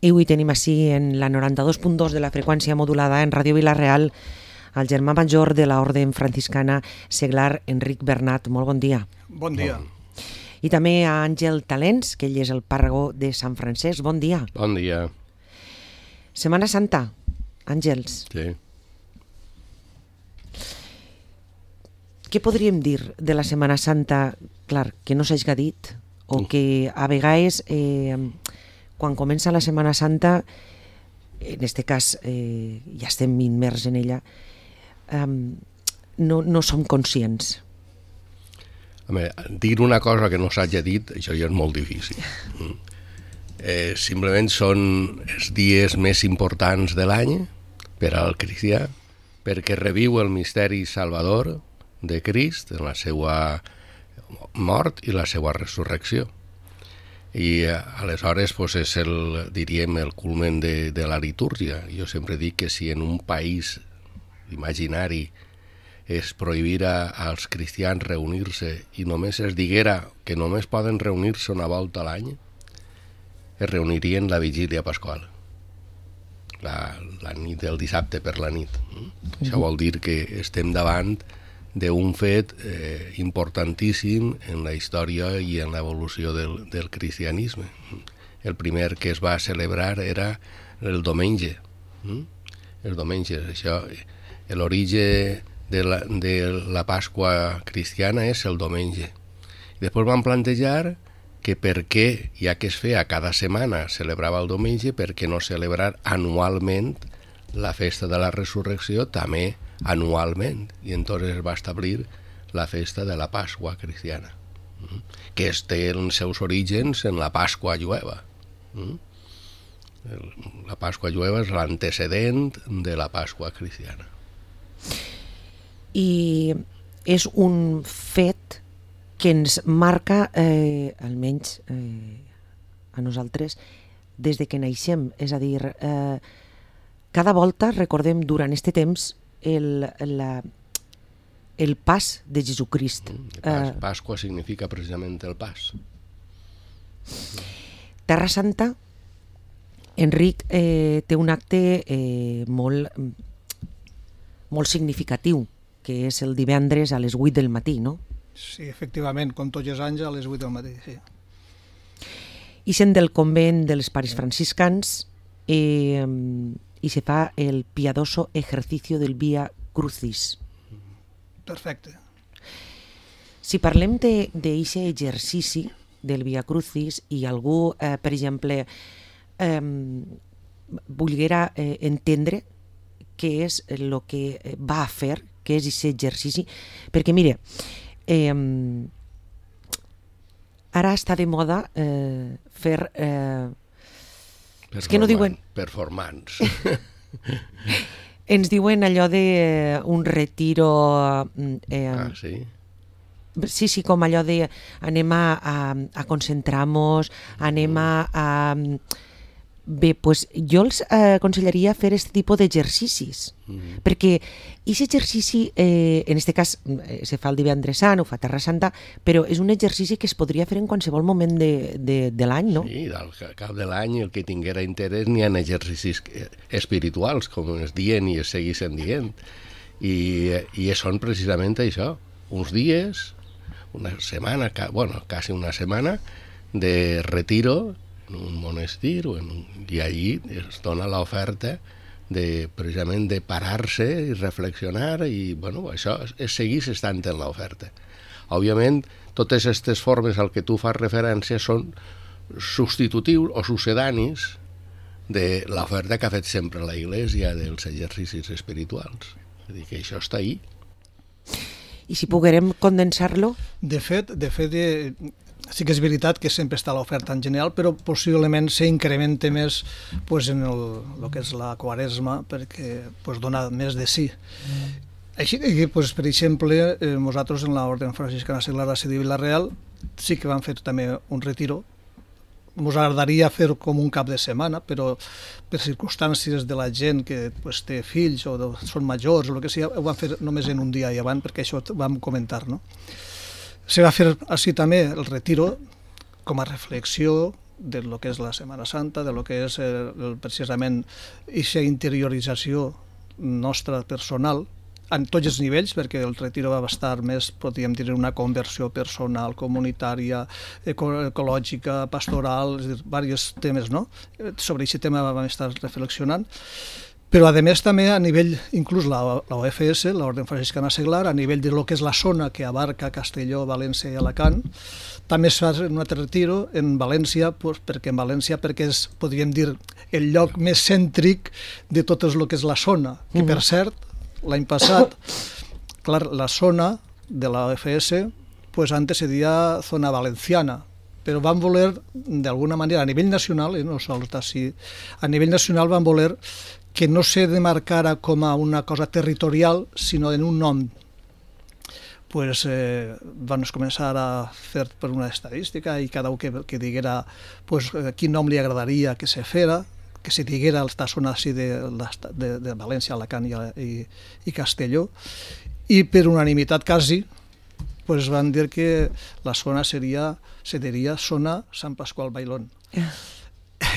I avui tenim així en la 92.2 de la freqüència modulada en Ràdio Vila-real el germà major de l'Orde franciscana seglar Enric Bernat. Molt bon dia. Bon dia. I també a Àngel Talents, que ell és el pàrroc de Sant Francesc. Bon dia. Bon dia. Setmana Santa, Àngels. Sí. Què podríem dir de la Setmana Santa, clar, que no s'hagi dit, o que a vegades, quan comença la Setmana Santa, en aquest cas ja estem immers en ella, no som conscients. Home, dir una cosa que no s'hagi dit, això ja és molt difícil. Simplement són els dies més importants de l'any per al cristià, perquè reviu el misteri salvador de Crist en la seva mort i la seva resurrecció. I aleshores és diríem el culmen de la litúrgia. Jo sempre dic que si en un país imaginari es prohibira als cristians reunir-se i només es diguera que només poden reunir-se una volta a l'any, es reunirien la vigília pasqual, la nit del dissabte per la nit. Això vol dir que estem davant d'un fet importantíssim en la història i en l'evolució del cristianisme. El primer que es va celebrar era el diumenge. El diumenge, això, l'origen de la Pasqua cristiana és el diumenge. I després van plantejar que per què, ja que es feia cada setmana, celebrava el diumenge, per què no celebrar anualment la festa de la resurrecció també anualment, i entonces es va establir la festa de la Pasqua cristiana, que té els seus orígens en la Pasqua jueva. La Pasqua jueva és l'antecedent de la Pasqua cristiana. I és un fet que ens marca, almenys a nosaltres, des de que naixem. És a dir, cada volta recordem durant aquest temps el pas de Jesucrist. Pasqua significa precisament el pas. Terra Santa, Enric, té un acte molt significatiu, que és el divendres a les 8 del matí, no? Sí, efectivament, com tots els anys a les 8 del matí, sí. I sent del convent dels pares franciscans i se fa el piadoso ejercicio del Via Crucis. Perfecte. Si parlem d'aquest exercici del Via Crucis i algú, per exemple, volguera entendre què és el que va a fer, què és aquest exercici, perquè mire, ara està de moda fer... és que no diuen... Performance. Ens diuen allò d'un retiro... sí? Sí, com allò de anem a concentrar-nos, anem a... Bé, doncs jo els aconsellaria fer aquest tipus d'exercicis, perquè aquest exercici, en aquest cas, se fa el divendres sant, ho fa Terra Santa, però és un exercici que es podria fer en qualsevol moment de l'any, no? Sí, al cap de l'any el que tinguera interès n'hi ha exercicis espirituals, com es diuen i es segueixen dient, i són precisament això, uns dies, una setmana, quasi una setmana de retiro en un monestir i allí es dona l'oferta precisament de parar-se i reflexionar i això es segueix estant en l'oferta. Òbviament, totes aquestes formes al que tu fas referència són substitutius o sucedanis de l'oferta que ha fet sempre la Iglésia dels exercicis espirituals. És a dir, que això està ahí. I si poguérem condensar-lo? De fet, sí que és veritat que sempre està l'oferta en general, però possiblement s'incrementa més en el que és la Quaresma, perquè dona més de sí. Així que, per exemple, nosaltres en l'Orde franciscana seglar de Vila-real sí que vam fer també un retiro. Ens agradaria fer com un cap de setmana, però per circumstàncies de la gent que té fills o són majors o el que sigui, ho vam fer només en un dia i abans, perquè això ho vam comentar, no? Se va fer així també el retiro com a reflexió, de lo que és la Setmana Santa, de lo que és precisament aquesta interiorització nostra personal, en tots els nivells, perquè el retiro va estar més, podríem dir, una conversió personal, comunitària, ecològica, pastoral, és a dir, diversos temes, no? Sobre aquest tema vam estar reflexionant. Però, a més, també a nivell, inclús la OFS, l'Orden Franciscana Seglar, a nivell de lo que és la zona que abarca Castelló, València i Alacant, també es fa un altre retiro en València, perquè és, podríem dir, el lloc més cèntric de tot el que és la zona, que per cert, l'any passat, clar, la zona de la OFS, pues antes se deia zona valenciana, però van voler, d'alguna manera, a nivell nacional, no sols d'ací, a nivell nacional van voler que no se demarcara com a una cosa territorial, sinó en un nom. Pues, van començar a fer per una estadística i cada un que diguera pues, quin nom li agradaria que se fera, que se diguera esta zona així de València, Alacant i Castelló, i per unanimitat quasi pues, van dir que la zona se diria zona Sant Pasqual Bailón.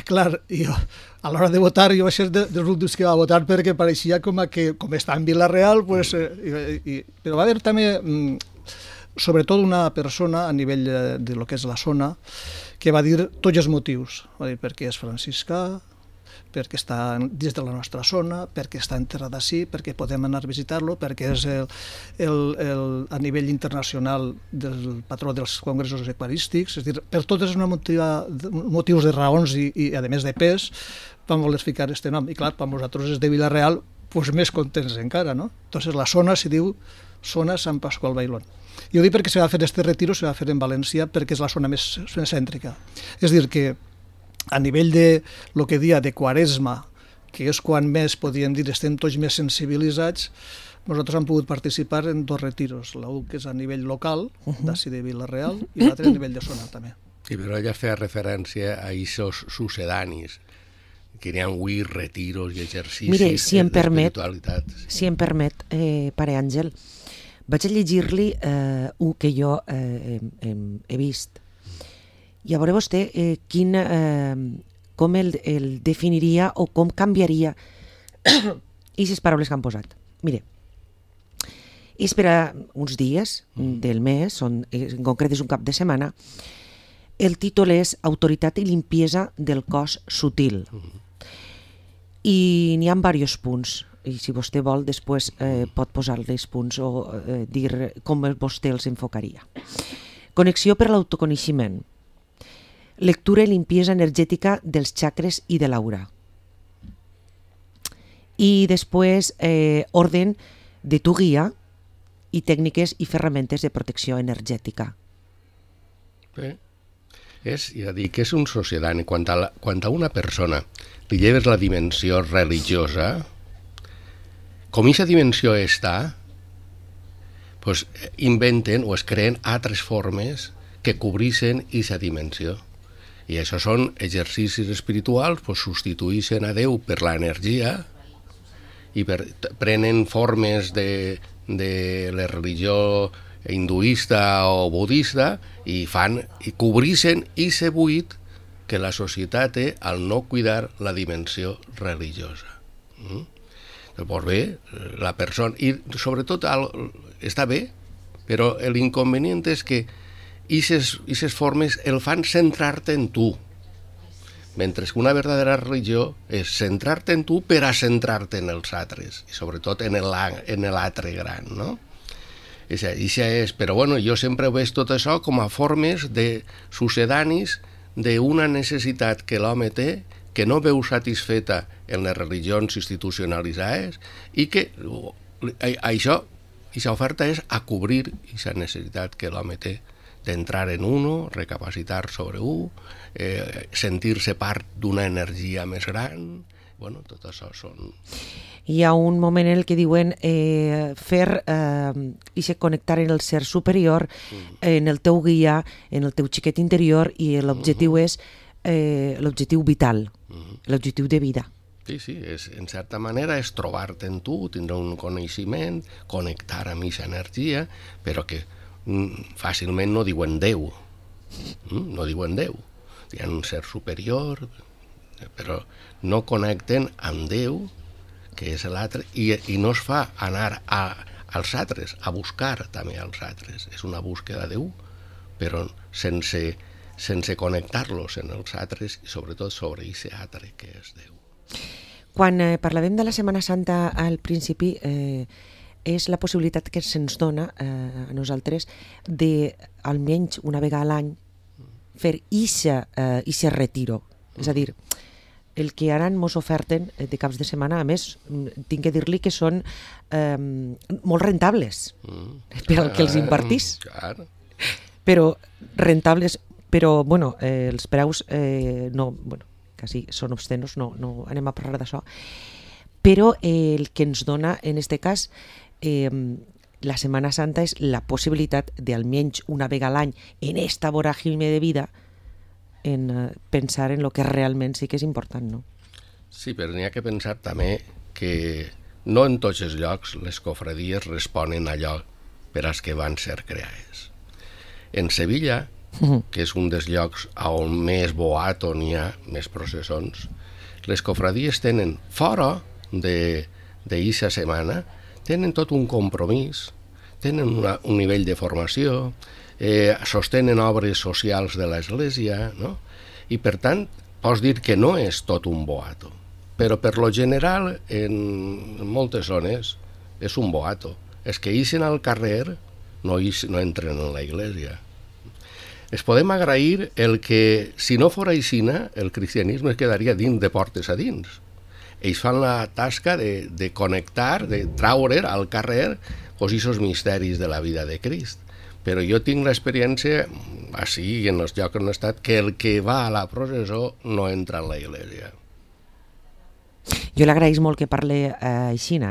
Clar, jo, a l'hora de votar, jo vaig ser dels últims que va votar perquè pareixia com està en Vila-real, pues, però va haver també, sobretot una persona a nivell de lo que és la zona, que va dir tots els motius, va dir perquè és franciscà, perquè està dins de la nostra zona, perquè està enterrat així, perquè podem anar a visitar-lo, perquè és a nivell internacional del patró dels congressos eucarístics, és a dir, per totes els motius de raons i a més de pes, vam voler ficar aquest nom. I clar, per nosaltres és de Vila-real, doncs més contents encara, no? Entonces la zona se diu zona Sant Pasqual Bailón. I ho dic perquè se va fer este retiro, se va fer en València, perquè és la zona més cèntrica. És a dir, que a nivell de lo que dia de Quaresma, que és quan més, podríem dir, estem tots més sensibilitzats, nosaltres hem pogut participar en 2 retiros, l'un que és a nivell local, d'ací de Vila-real, i l'altre a nivell de zona també. I però ella feia referència a aquests sucedanis, que hi ha 8 retiros i exercicis. Mire, si em permet, pare Àngel, vaig a llegir-li un que jo he vist. I a veure vostè com el definiria o com canviaria aquestes paraules que han posat. Mire, és per a uns dies del mes, en concret és un cap de setmana, el títol és Autoritat i limpiesa del cos sutil. I n'hi ha diversos punts, i si vostè vol després pot posar-li els punts o dir com vostè els enfocaria. Connexió per l'autoconeixement. Lectura i limpiesa energètica dels xacres i de l'aura. I després, orden de tu guia i tècniques i ferramentes de protecció energètica. Bé, ja dic, és un sucedani. Quan a una persona li lleves la dimensió religiosa, com aquesta dimensió està, pues inventen o es creen altres formes que cobreixen aquesta dimensió. I això són exercicis espirituals, pues substitueixen a Déu per l'energia i prenen formes de la religió hinduista o budista i cobreixen aquest buit que la societat té al no cuidar la dimensió religiosa. Doncs bé, la persona... I sobretot està bé, però l'inconvenient és que aquestes formes el fan centrar-te en tu, mentre que una verdadera religió és centrar-te en tu per a centrar-te en els altres, i sobretot en l'altre gran, no? Però bueno, jo sempre veig tot això com a formes de sucedanis d'una necessitat que l'home té, que no veu satisfeta en les religions institucionalitzades i que aquesta oferta és a cobrir aquesta necessitat que l'home té d'entrar en uno, recapacitar sobre sentir-se part d'una energia més gran. Bueno, tot això són... Hi ha un moment en el que diuen connectar en el ser superior, en el teu guia, en el teu xiquet interior, i l'objectiu és l'objectiu vital, l'objectiu de vida. Sí, en certa manera és trobar-te en tu, tindre un coneixement, connectar amb aquesta energia, però que fàcilment no diuen Déu. No diuen Déu. hi ha un ser superior, però no connecten amb Déu, que és l'altre, i no es fa anar als altres, a buscar també als altres. És una búsqueda de Déu, però sense connectar-los en els altres i sobretot sobre aquest altre que és Déu. Quan parlàvem de la Setmana Santa al principi, és la possibilitat que se'ns dona a nosaltres de, almenys una vegada a l'any, fer ixe retiro. És a dir, el que ara mos oferten de caps de setmana, a més, tinc que dir-li que són molt rentables per al que els impartís. Clar. Però rentables, però bueno, els preus no, bueno, quasi són obscenos, no anem a parlar d'això, però el que ens dona en este cas la Setmana Santa és la possibilitat de almenys una vegada a l'any en esta voràgine de vida en pensar en el que realment sí que és important, no? Sí, però n'hi ha que pensar també que no en tots els llocs les cofradies responen a allò per als que van ser creades. En Sevilla, que és un dels llocs on més boato n'hi ha, més processons, les cofradies tenen, fora d'eixa setmana, tenen tot un compromís, tenen un nivell de formació, sostenen obres socials de l'Església, no? I per tant, pots dir que no és tot un boato, però per lo general, en moltes zones, és un boato. Els que ixen al carrer no entren en la Iglesia. Es podem agrair el que, si no fora aixina, el cristianisme es quedaria dins de portes a dins. Ells fan la tasca de connectar, de traure al carrer aquests misteris de la vida de Crist. Però jo tinc l'experiència, així i en els llocs on he estat, que el que va a la processó no entra en la Iglesia. Jo l'agraeix molt que parle aixina,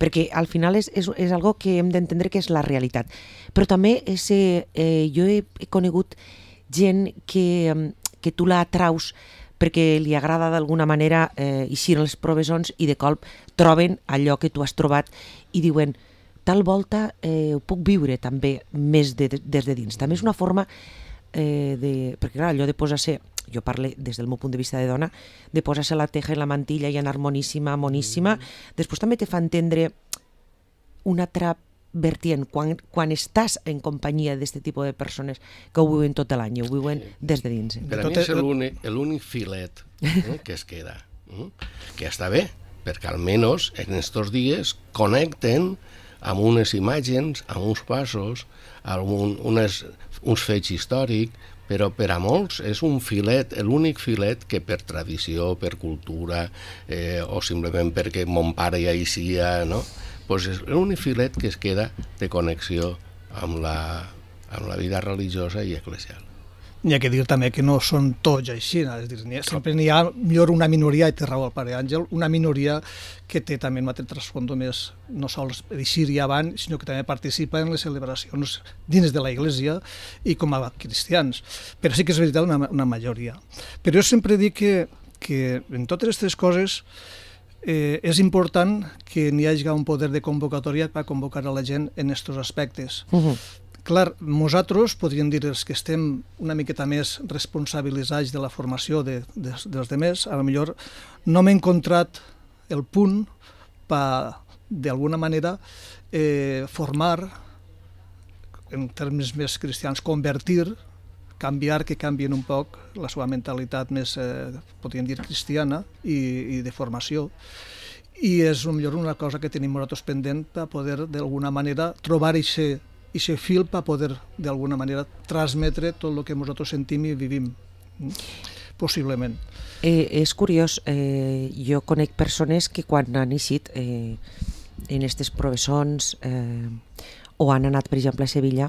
perquè al final és algo que hem d'entendre que és la realitat. Però també jo he conegut gent que tu la atraus perquè li agrada d'alguna manera eixir els provessons i de colp troben allò que tu has trobat i diuen, tal volta ho puc viure també més des de dins. També és una forma perquè clar, allò de posar-se, jo parlo des del meu punt de vista de dona, de posar-se la teja i la mantilla i anar moníssima, després també te fa entendre una altra vertient, quan estàs en companyia d'aquest tipus de persones que ho viuen tot l'any, ho viuen des de dins. Per a mi és l'únic filet que es queda, que està bé, perquè almenys en aquests dies connecten amb unes imatges, amb uns passos, amb uns fets històrics, però per a molts és un filet, l'únic filet que per tradició, per cultura, o simplement perquè mon pare ja hi sia, no? Pues és l'únic filet que es queda de connexió amb la vida religiosa i eclesial. N'hi ha que dir també que no són tots així, és dir, sempre n'hi ha millor una minoria, i té raó el pare Àngel, una minoria que té també un altre trasfondo més, no sols d'eixir i avant, sinó que també participa en les celebracions dins de la Iglesia i com a cristians. Però sí que és veritat una majoria. Però jo sempre dic que en totes aquestes coses és important que n'hi hagi un poder de convocatòria per convocar a la gent en aquests aspectes. Clar, nosaltres, podríem dir els que estem una miqueta més responsabilitzats de la formació dels demés, a lo millor no m'he encontrat el punt per, d'alguna manera, formar, en termes més cristians, convertir, canviar, que canvien un poc la seva mentalitat més, podríem dir, cristiana i de formació. I és millor una cosa que tenim nosaltres pendent per poder, d'alguna manera, trobar aquest fil per poder, d'alguna manera, transmetre tot el que nosaltres sentim i vivim, possiblement. És curiós, jo conec persones que quan han eixit en aquestes professons o han anat, per exemple, a Sevilla,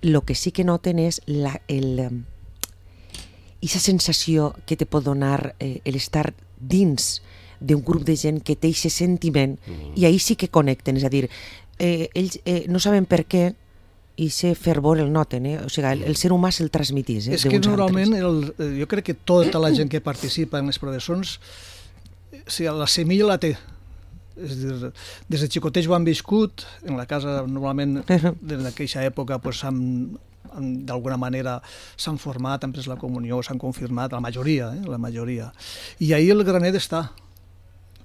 el que sí que noten és aquesta sensació que te pot donar l'estar dins d'un grup de gent que té aquest sentiment i ahir sí que connecten, és a dir, ells no saben per què i ser fervor el noten, o sigui, el ser humà se'l transmitís. És que normalment jo crec que tota la gent que participa en les professons, la semilla la té. És dir, des de xicotets ho han viscut, en la casa normalment en aquella època amb d'alguna manera s'han format, han pres la comunió, s'han confirmat, la majoria. I ahí el granet està.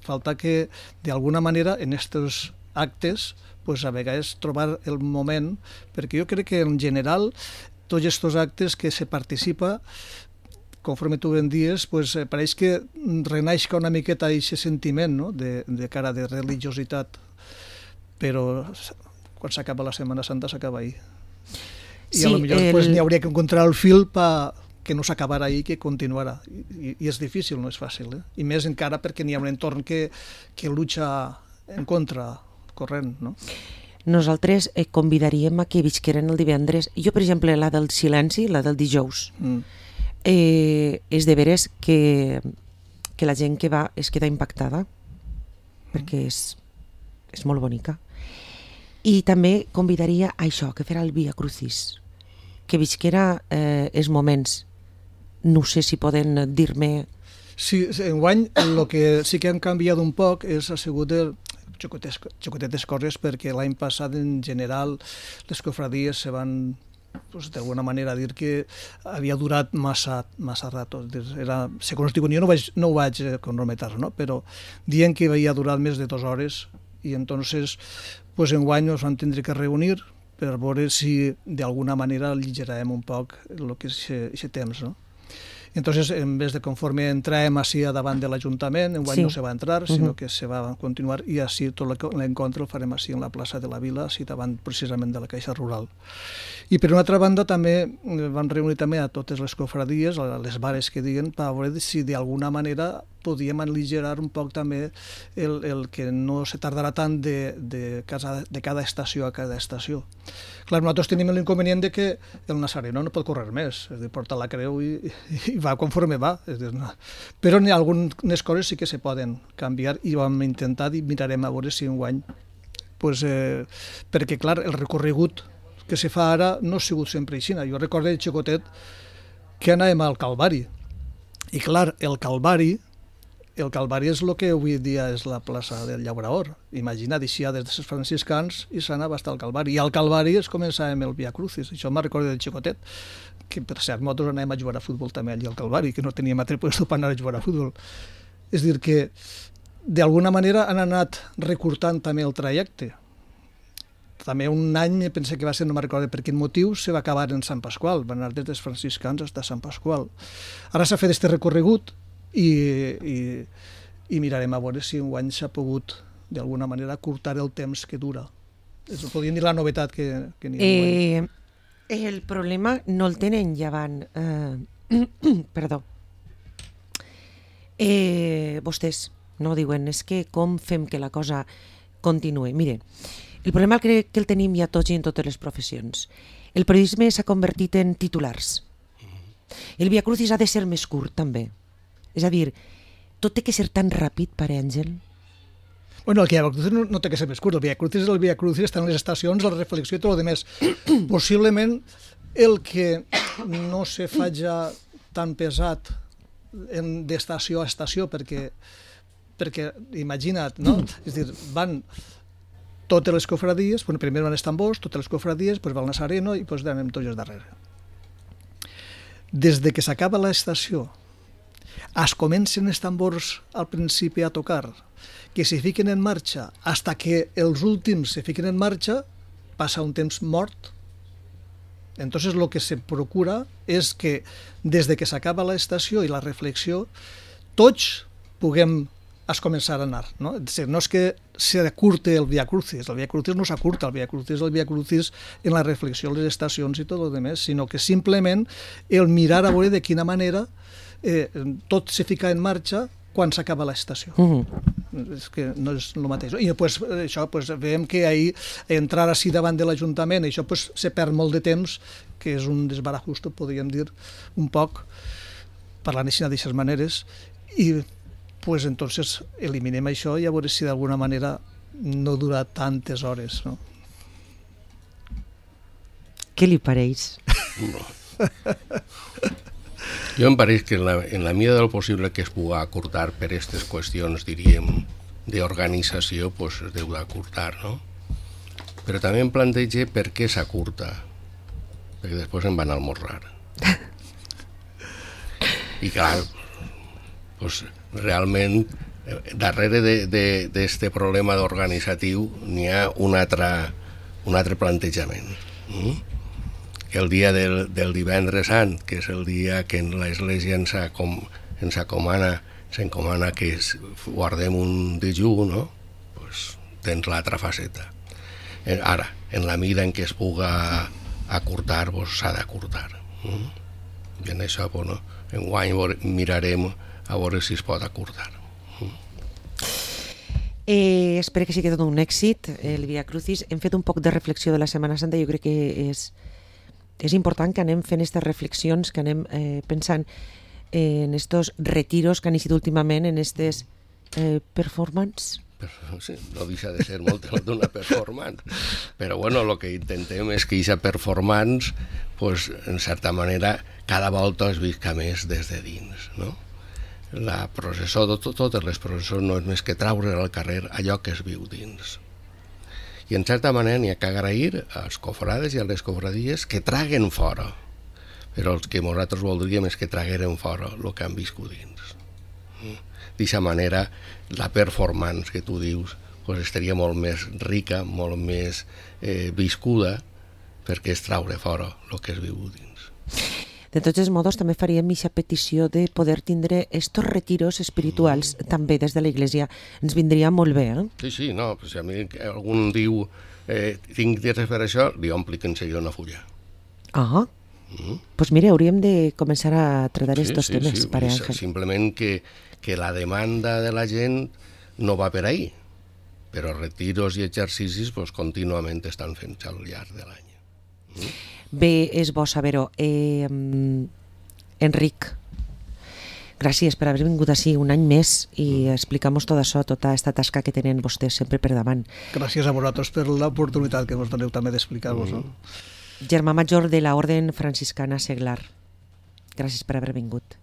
Falta que, d'alguna manera, en aquests actes, pues, a vegades trobar el moment, perquè jo crec que en general tots aquests actes que se participa, conforme tu ben dies, pues, pareix que renaixca una miqueta aquest sentiment, no? de cara de religiositat, però quan s'acaba la Setmana Santa s'acaba ahir. I a lo millor pues, n'hi hauria que encontrar el fil que no s'acabara ahir, que continuara. I és difícil, no és fàcil. I més encara perquè n'hi ha un entorn que lucha en contra corrent, no? Nosaltres convidaríem a que visqueren el divendres. Jo, per exemple, la del silenci, la del dijous, és de veres que la gent que va es queda impactada, perquè és molt bonica. I també convidaria a això, que farà el Via Crucis, que visquera els moments. No sé si poden dir-me... Sí, enguany el que sí que han canviat un poc ha sigut el xocotetes coses, perquè l'any passat en general les cofradies se van, pues, d'alguna manera, dir que havia durat massa rato. Segons diuen, jo no ho vaig cronometrar, no? Però dient que havia durat més de 2 hores, i entonces pues, enguany ens vam tindre que reunir per veure si d'alguna manera aligerarem un poc el que és aquest temps, no? Entonces, en vez de conforme entràvem així davant de l'Ajuntament, enguany no se va entrar, sinó que se va continuar, i així tot l'encontre el farem així en la plaça de la Vila, així davant precisament de la Caixa Rural. I per una altra banda també vam reunir també a totes les cofradies, a les bares que diguen, per veure si d'alguna manera podíem aligerar un poc també el que no se tardarà tant de cada estació a cada estació. Clar, nosaltres tenim l'inconvenient de que el Nazareno no pot córrer més, és a dir, porta la creu i va conforme va. És dir, no. Però algunes coses sí que se poden canviar i vam intentar i mirarem a veure si enguany, pues, perquè clar, el recorregut que se fa ara no ha sigut sempre així. Jo recordo de xicotet que anàvem al Calvari, i clar, el Calvari és el que avui dia és la plaça del Llaurador. Imagina't, eixia des dels franciscans i s'anava fins al Calvari. I al Calvari es començàvem el Via Crucis. Això me'n recordo del xicotet, que per cert, nosaltres anàvem a jugar a futbol també allà al Calvari, que no teníem altre lloc per anar a jugar a futbol. És dir que, d'alguna manera, han anat recurtant també el trajecte. També un any, penso que va ser, no me'n recordo per quin motiu, se va acabar en Sant Pasqual, van anar des dels franciscans fins a Sant Pasqual. Ara s'ha fet aquest recorregut, i mirarem a veure si enguany s'ha pogut d'alguna manera curtar el temps que dura. Podríem dir la novetat que n'hi ha enguany. El problema no el tenen llevant perdó vostès no diuen, és que com fem que la cosa continuï. Mire, el problema crec que el tenim ja tots i en totes les professions. El periodisme s'ha convertit en titulars. El Via Crucis ha de ser més curt també. És a dir, tot té que ser tan ràpid, pare Àngel? Bueno, el Via Crucis no té que ser més curt. El Via Crucis està en les estacions, la reflexió i tot el demés. Possiblement el que no se fa ja tan pesat d'estació a estació, perquè imagina't, no? És a dir, van totes les cofradies, primer van els tambors, totes les cofradies, després va el Nazareno i després anem tots darrere. Des de que s'acaba l'estació es comencen els tambors al principi a tocar, que se fiquen en marxa, hasta que els últims se fiquen en marxa, passa un temps mort. Entonces lo que se procura és que des de que s'acaba l'estació i la reflexió, tots puguem començar a anar. No és que s'acurte el Via Crucis no s'acurta, el Via Crucis en la reflexió, les estacions i tot el demés, sinó que simplement el mirar a veure de quina manera tot se fica en marxa quan s'acaba l'estació. És que no és el mateix. I això veiem que ahir entrar així davant de l'Ajuntament, això se perd molt de temps, que és un desbarajusto, podríem dir, un poc, parlant així d'aquestes maneres, i entonces eliminem això i a veure si d'alguna manera no dura tantes hores, no? Què li pareix? Jo em pareix que en la mida del possible que es pugui acurtar per aquestes qüestions, diríem, d'organització, es deu d'acurtar, no? Però també em planteja per què s'acurta. perquè després em van almorzar. I clar, pues, realment, darrere d'este problema organitzatiu n'hi ha un altre plantejament. Que el dia del divendres sant, que és el dia que l'Església ens encomana que guardem un dejú, no? Pues, tens l'altra faceta. Ara, en la mida en què es puga acurtar, s'ha d'acurtar. I en això, bueno, enguany mirarem a veure si es pot acurtar. Espero que sigui tot un èxit, el Via Crucis. Hem fet un poc de reflexió de la Setmana Santa. Jo crec que és important que anem fent aquestes reflexions, que anem pensant en estos retiros que han eixit últimament, en aquestes performances. Sí, no deixa de ser molt d'una performance, però bueno, el que intentem és que aquesta performance, pues, en certa manera, cada volta es visca més des de dins, no? La processó, totes les processons no és més que traure al carrer allò que es viu dins. I en certa manera n'hi ha que agrair als cofrades i a les cofradies que traguen fora, però el que nosaltres voldríem és que tragueren fora el que han viscut dins. D'aquesta manera, la performance que tu dius pues, estaria molt més rica, molt més viscuda, perquè és traure fora el que es viu dins. De tots els modos, també faríem aquesta petició de poder tindre estos retiros espirituals també des de la ens vindria molt bé, eh? Sí, no, si a mi algun diu tinc temps per això, li omplic en seguida una fulla. Pues mira, hauríem de començar a tratar estos temes, Pare Àngel. Simplement que la demanda de la gent no va per ahí, però retiros i exercicis pues, contínuament estan fent al llarg de l'any. Bé, és bo saber-ho. Enric, gràcies per haver vingut així un any més i explicar-nos tot això, tota aquesta tasca que tenen vostès sempre per davant. Gràcies a vosaltres per l'oportunitat que ens doneu també d'explicar-vos. Germà major de la Orden Franciscana Seglar. Gràcies per haver vingut.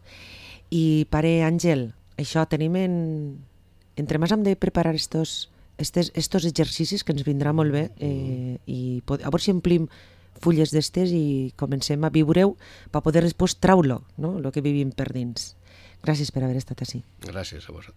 I Pare Àngel, això tenim entre més hem de preparar estos exercicis que ens vindrà molt bé i a veure si omplim fulles d'estes i comencem a viure-ho per poder després traure-lo, no? El que vivim per dins. Gràcies per haver estat així. Gràcies a vosaltres.